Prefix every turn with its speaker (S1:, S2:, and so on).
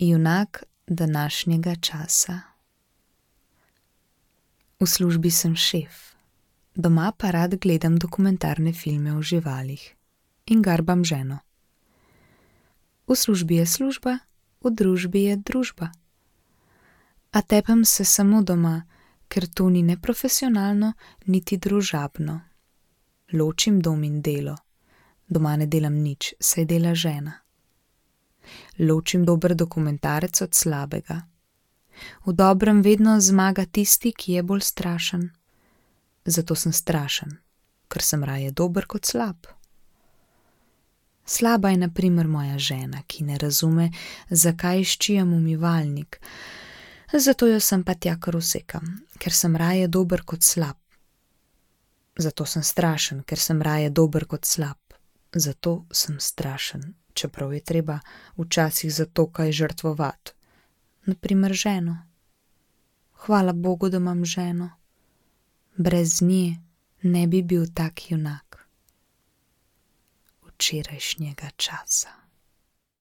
S1: Junak današnjega časa. V službi sem šef, doma pa rad gledam dokumentarne filme o živalih in garbam ženo. V službi je služba, v družbi je družba. A tepem se samo doma, ker to ni ne profesionalno, niti družabno. Ločim dom in delo. Doma ne delam nič, saj dela žena. Ločim dober dokumentarec od slabega. V dobrem vedno zmaga tisti, ki je bolj strašen. Zato sem strašen, ker sem raje dober kot slab. Slaba je na primer moja žena, ki ne razume, zakaj ščijem umivalnik. Zato jo sem pa tja kar usekam, ker sem raje dober kot slab. Zato sem strašen, ker sem raje dober kot slab. Zato sem strašen, čeprav je treba včasih za to kaj žrtvovati. Na primer ženo. Hvala Bogu, da imam ženo. Brez nje ne bi bil tak junak včerajšnjega časa.